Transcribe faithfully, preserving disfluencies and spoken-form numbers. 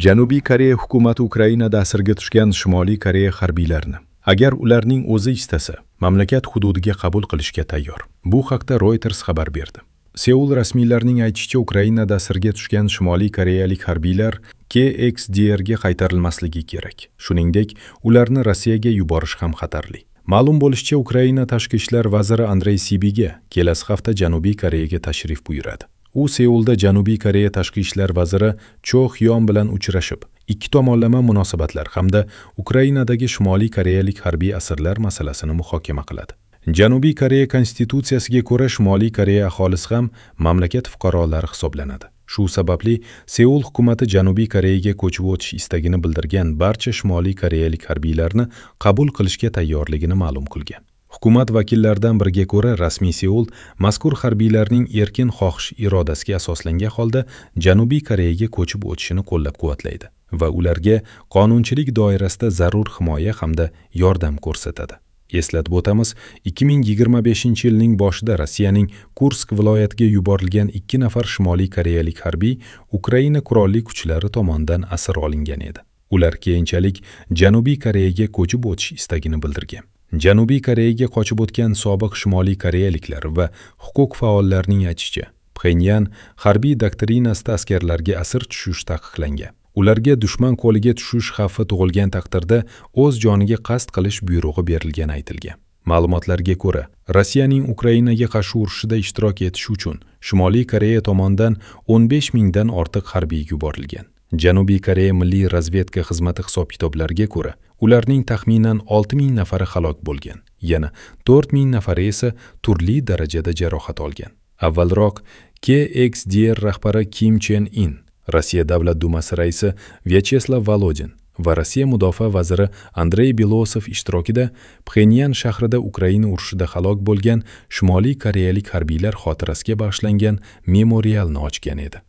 Janubiy Koreya hukumati Ukrainada asirga tushgan Shimoliy Koreya harbiylarini, agar ularning o'zi istasa, mamlakat hududiga qabul qilishga tayyor. Bu haqda Reuters xabar berdi. Seul rasmiylarining aytishicha, Ukrainada asirga tushgan Shimoliy koreyalik harbiylar K X D R ga qaytarilmasligi kerak. Shuningdek, ularni Rossiyaga yuborish ham xatarli. Ma'lum bo'lishicha, Ukraina tashqi ishlar vaziri Andrey Sibiga kelasi hafta Janubiy Koreyaga tashrif buyuradi. U Seulda Janubiy Koreya tashqi ishlar vaziri Cho Hyon bilan uchrashib, ikki tomonlama munosabatlar hamda Ukrainadagi Shimoliy koreyalik harbiy asirlar masalasini muhokama qiladi. Janubiy Koreya konstitutsiyasiga ko'ra Shimoliy Koreya aholisi ham mamlakat fuqarolari hisoblanadi. Shu sababli Seul hukumati Janubiy Koreyaga ko'chib o'tish istagini bildirgan barcha Shimoliy koreyalik harbiylarni qabul qilishga tayyorligini ma'lum qilgan. Hukumat vakillaridan biriga ko'ra, rasmiy Seul mazkur harbiylarning erkin xohish irodasiga asoslangan holda Janubiy Koreyaga ko'chib o'tishini qo'llab-quvvatlaydi va ularga qonunchilik doirasida zarur himoya hamda yordam ko'rsatadi. Eslatib o'tamiz, ikki ming yigirma beshinchi yilning boshida Rossiyaning Kursk viloyatiga yuborilgan ikki nafar Shimoliy koreyalik harbiy Ukraina qurolli kuchlari tomonidan asir olingan edi. Ular keyinchalik Janubiy Koreyaga ko'chib o'tish istagini bildirgan. Janubiy Koreyaga qochib o'tgan sobiq Shimoliy koreyaliklar va huquq faollarining aytishicha, Pxenyan harbiy doktrinasida askarlarga asir tushish taqiqlangan. Ularga dushman qo'liga tushish xavfi tug'ilgan taqdirda o'z joniga qasd qilish buyrug'i berilgani aytilgan. Ma'lumotlarga ko'ra, Rossiyaning Ukrainaga qarshi urushida ishtirok etish uchun Shimoliy Koreya tomonidan o'n besh mingdan ortiq harbiy yuborilgan. Janubiy Koreya Milliy razvedka xizmati hisob-kitoblariga ko'ra, ularning taxminan olti ming nafari halok bo'lgan, yana to'rt ming nafari esa turli darajada jarohat olgan. Avvalroq K X D R rahbari Kim Chen In, Rossiya Davlat Dumasi raisi Vyacheslav Volodin va Rossiya mudofaa vaziri Andrey Belosov ishtirokida Pxenyan shahrida Ukraina urushida halok bo'lgan Shimoliy koreyalik harbiylar xotirasiga bag'ishlangan memorialni ochgan edi.